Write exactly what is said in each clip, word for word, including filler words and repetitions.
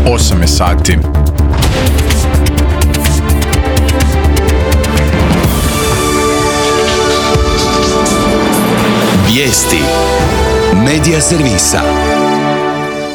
osam je sati. Vijesti Medija servisa.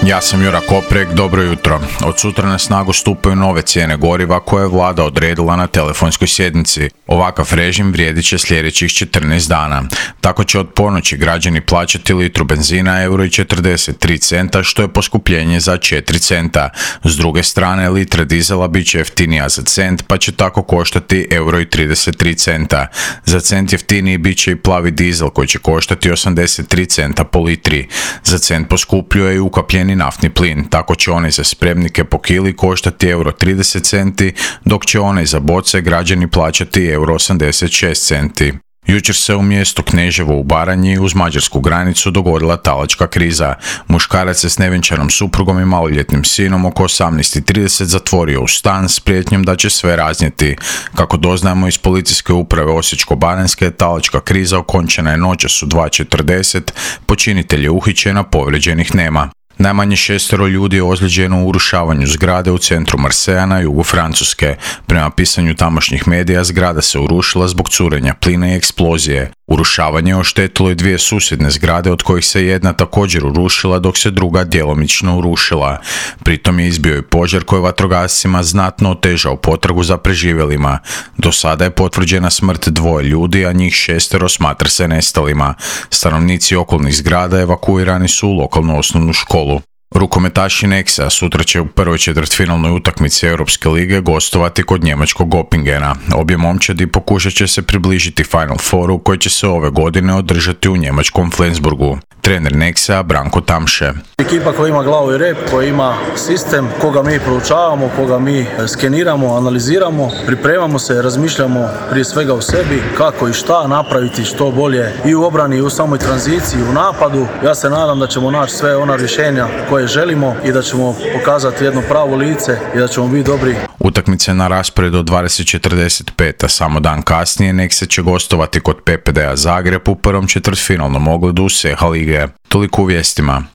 Ja sam Jura Koprek, dobro jutro. Od sutra na snagu stupaju nove cijene goriva koje je vlada odredila na telefonskoj sjednici. Ovakav režim vrijedit će sljedećih četrnaest dana. Tako će od ponoći građani plaćati litru benzina euro i četrdeset tri centa, što je poskupljenje za četiri centa. S druge strane, litra dizela bit će jeftinija za cent, pa će tako koštati euro i trideset tri centa. Za cent jeftiniji bit će i plavi dizel koji će koštati osamdeset tri centa po litri. Za cent poskupljuje i ukapljeni naftni plin, tako će onaj za spremnike po kili koštati euro trideset centi, dok će onaj za boce građani plaćati euro osamdeset šest centi. Jučer se u mjestu Kneževo u Baranji uz mađarsku granicu dogodila talačka kriza. Muškarac se s nevjenčanom suprugom i maloljetnim sinom oko osamnaest i trideset zatvorio u stan s prijetnjom da će sve raznijeti. Kako doznajemo iz policijske uprave Osječko-baranjske, talačka kriza okončana je noćas u dva četrdeset, počinitelj je uhićen, a povrijeđenih nema. Najmanje šestero ljudi je ozlijeđeno u urušavanju zgrade u centru Marseja na jugu Francuske. Prema pisanju tamošnjih medija, zgrada se urušila zbog curenja plina i eksplozije. Urušavanje je oštetilo i dvije susjedne zgrade, od kojih se jedna također urušila, dok se druga djelomično urušila. Pritom je izbio i požar koji vatrogascima znatno otežao potragu za preživjelima. Do sada je potvrđena smrt dvoje ljudi, a njih šestero smatra se nestalima. Stanovnici okolnih zgrada evakuirani su u lokalnu osnovnu školu. Rukometaši Nexa sutra će u prvoj četvrtfinalnoj utakmici Europske lige gostovati kod njemačkog Göppingena. Obje momčadi pokušat će se približiti Final Fouru koji će se ove godine održati u njemačkom Flensburgu. Trener Nexa Branko Tamše. Ekipa koja ima glavu i rep, koja ima sistem, koga mi proučavamo, koga mi skeniramo, analiziramo, pripremamo se, razmišljamo prije svega o sebi, kako i šta napraviti što bolje i u obrani i u samoj tranziciji, u napadu. Ja se nadam da ćemo naći sve ona rješenja koje želimo i da ćemo pokazati jedno pravo lice i da ćemo biti dobri. Utakmice na rasporedu od dvadeset četrdeset pet, a samo dan kasnije Nexa će gostovati kod P P D A Zagreb u prvom četvrtfinalnom ogledu S E H A lige. Toliko u vijestima.